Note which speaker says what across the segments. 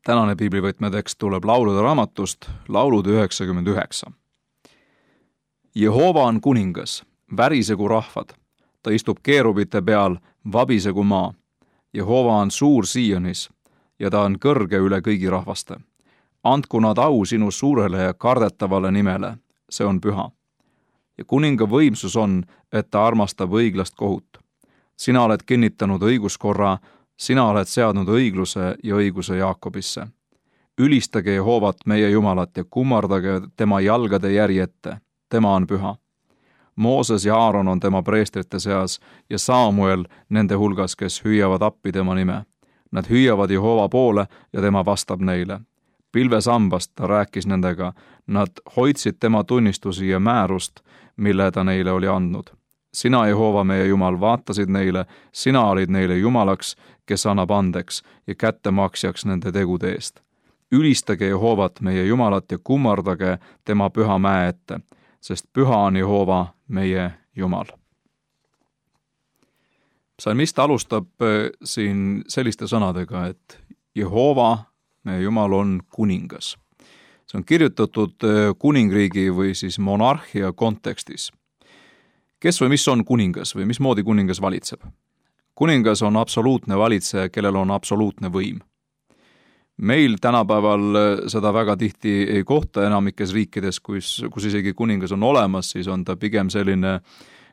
Speaker 1: Tänane piiblivõtmetekst tuleb laulude raamatust, laulud 99. Jehova on kuningas, värisegu rahvad, ta istub keerubite peal, vabisegu maa. Jehova on suur Sionis ja ta on kõrge üle kõigi rahvaste. Andku nad au sinu suurele ja kardetavale nimele, see on püha. Ja kuninga võimsus on, et ta armastab õiglast kohut. Sina oled kinnitanud õiguskorra, sina oled seadnud õigluse ja õiguse Jaakobisse. Ülistage Jehovat meie Jumalat ja kummardage tema jalgade järje ette, tema on püha. Mooses ja Aaron on tema preestrite seas ja Samuel nende hulgas, kes hüüavad appi tema nime. Nad hüüavad Jehova poole ja tema vastab neile. Pilvesambast ta rääkis nendega, nad hoidsid tema tunnistusi ja määrust, mille ta neile oli andnud. Sina, Jehova, meie Jumal, vaatasid neile, sina olid neile Jumalaks, kes annab andeks ja kättemaksjaks nende tegude eest. Ülistage Jehovat, meie Jumalat, ja kummardage tema püha mäe ette, sest püha on Jehova, meie Jumal. Psalmist alustab siin selliste sõnadega, et Jehova, meie Jumal, on kuningas. See on kirjutatud kuningriigi või siis monarhia kontekstis. Kes või mis on kuningas või mismoodi kuningas valitseb? Kuningas on absoluutne valitseja, kellel on absoluutne võim. Meil tänapäeval seda väga tihti ei kohta enamikes riikides, kus isegi kuningas on olemas, siis on ta pigem selline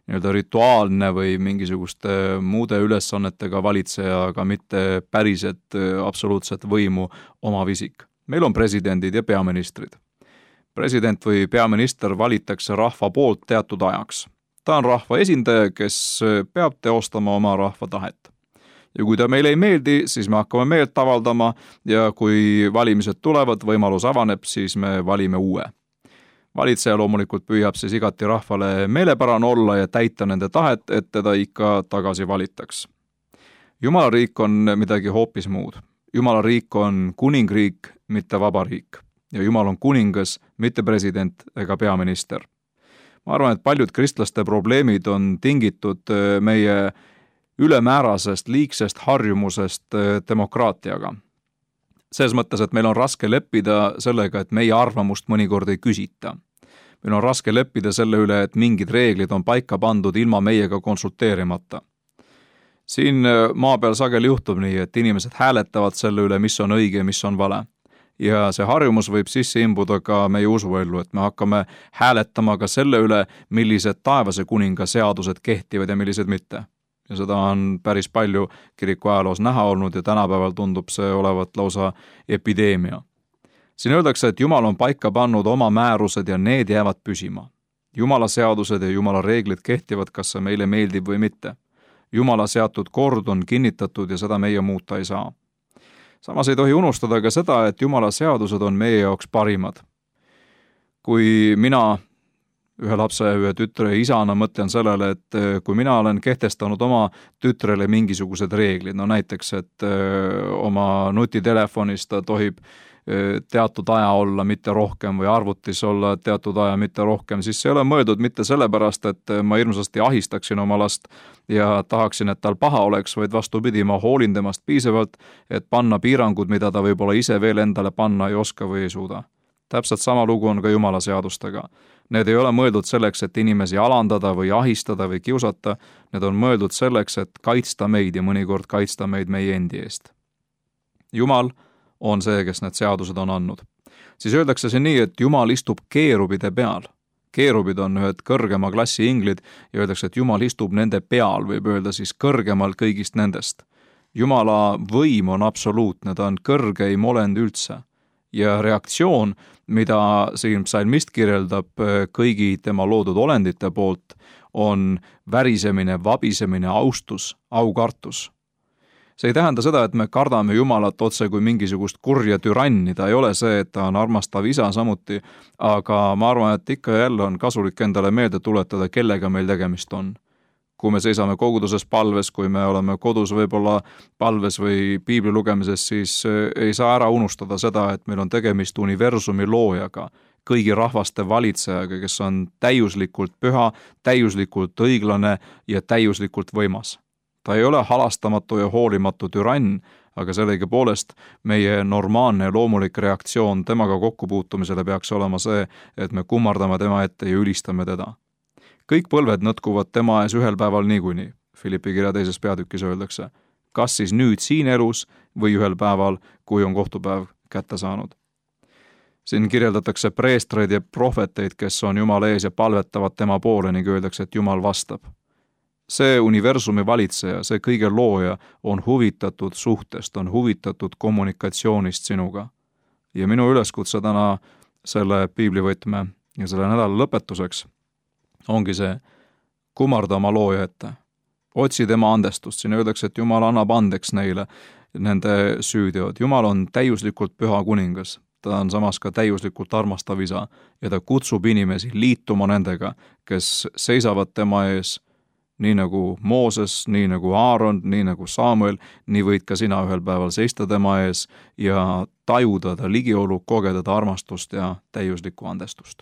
Speaker 1: rituaalne või mingisuguste muude ülesannetega valitseja, aga mitte päriselt absoluutset võimu omav isik. Meil on presidendid ja peaministrid. President või peaminister valitakse rahva poolt teatud ajaks. Ta on rahva esindaja, kes peab teostama oma rahva tahet. Ja kui ta meile ei meeldi, siis me hakkame meelt avaldama ja kui valimised tulevad, võimalus avaneb, siis me valime uue. Valitseja loomulikult püüab siis igati rahvale meelepärane olla ja täita nende tahet, et teda ikka tagasi valitaks. Jumala riik on midagi hoopis muud. Jumala riik on kuningriik, mitte vabariik. Ja Jumal on kuningas, mitte president ega peaminister. Ma arvan, et paljud kristlaste probleemid on tingitud meie ülemäärasest, liigsest harjumusest demokraatiaga. Selles mõttes, et meil on raske leppida sellega, et meie arvamust mõnikord ei küsita. Meil on raske leppida selle üle, et mingid reeglid on paika pandud ilma meiega konsulteerimata. Siin maa peal sageli juhtub nii, et inimesed hääletavad selle üle, mis on õige ja mis on vale. Ja see harjumus võib sisse imbuda ka meie usuellu, et me hakkame hääletama ka selle üle, millised taevase kuninga seadused kehtivad ja millised mitte. Ja seda on päris palju kiriku ajaloos näha olnud ja tänapäeval tundub see olevat lausa epideemia. Siin öeldakse, et Jumal on paika pannud oma määrused ja need jäävad püsima. Jumala seadused ja Jumala reeglid kehtivad, kas see meile meeldib või mitte. Jumala seatud kord on kinnitatud ja seda meie muuta ei saa. Samas ei tohi unustada ka seda, et Jumala seadused on meie jaoks parimad. Kui mina ühe lapse, ühe tütre isana mõtlen sellele, et kui mina olen kehtestanud oma tütrele mingisugused reeglid, no näiteks, et oma nutitelefonis ta tohib teatud aja olla, mitte rohkem, või arvutis olla teatud aja, mitte rohkem, siis see ei ole mõeldud mitte sellepärast, et ma hirmsasti ahistaksin oma last ja tahaksin, et tal paha oleks, vaid vastupidi, ma hoolin temast piisavalt, et panna piirangud, mida ta võib-olla ise veel endale panna ei oska või ei suuda. Täpselt sama lugu on ka Jumala seadustega. Need ei ole mõeldud selleks, et inimesi alandada või ahistada või kiusata, need on mõeldud selleks, et kaitsta meid ja mõnikord kaitsta meid meie endi eest. Jumal on see, kes need seadused on andnud. Siis öeldakse see nii, et Jumal istub keerubide peal. Keerubid on ühed kõrgema klassi inglid ja öeldakse, et Jumal istub nende peal, võib öelda siis kõrgemal kõigist nendest. Jumala võim on absoluutne, ta on kõrgeim olend üldse. Ja reaktsioon, mida siin psalmist kirjeldab kõigi tema loodud olendite poolt, on värisemine, vabisemine, austus, aukartus. See ei tähenda seda, et me kardame Jumalat otse kui mingisugust kurja türanni, ta ei ole see, et ta on armastav isa samuti, aga ma arvan, et ikka jälle on kasulik endale meelde tuletada, kellega meil tegemist on. Kui me seisame koguduses palves, kui me oleme kodus võib-olla palves või piibli lugemises, siis ei saa ära unustada seda, et meil on tegemist universumi loojaga, kõigi rahvaste valitsejaga, kes on täiuslikult püha, täiuslikult õiglane ja täiuslikult võimas. Ta ei ole halastamatu ja hoolimatu türann, aga sellegipoolest meie normaalne ja loomulik reaktsioon temaga kokkupuutumisele peaks olema see, et me kummardame tema ette ja ülistame teda. Kõik põlved nõtkuvad tema ees ühel päeval niikuinii, Philippi kirja 2. peatükis öeldakse, kas siis nüüd siin elus või ühel päeval, kui on kohtupäev kätte saanud. Siin kirjeldatakse preestreid ja prohveteid, kes on Jumala ees ja palvetavad tema poole ning öeldakse, et Jumal vastab. See universumi valitseja, see kõige looja on huvitatud suhtest, on huvitatud kommunikatsioonist sinuga. Ja minu üleskutse täna selle piiblivõtme ja selle nädala lõpetuseks ongi see, kummarda oma looja ette. Otsi tema andestust, siin öeldakse, et Jumal annab andeks neile nende süüteod. Jumal on täiuslikult püha kuningas. Ta on samas ka täiuslikult armastav isa ja ta kutsub inimesi liituma nendega, kes seisavad tema ees, nii nagu Mooses, nii nagu Aaron, nii nagu Samuel, nii võid ka sina ühel päeval seista tema ees ja tajuda ta ligiolu, kogeda ta armastust ja täiuslikku andestust.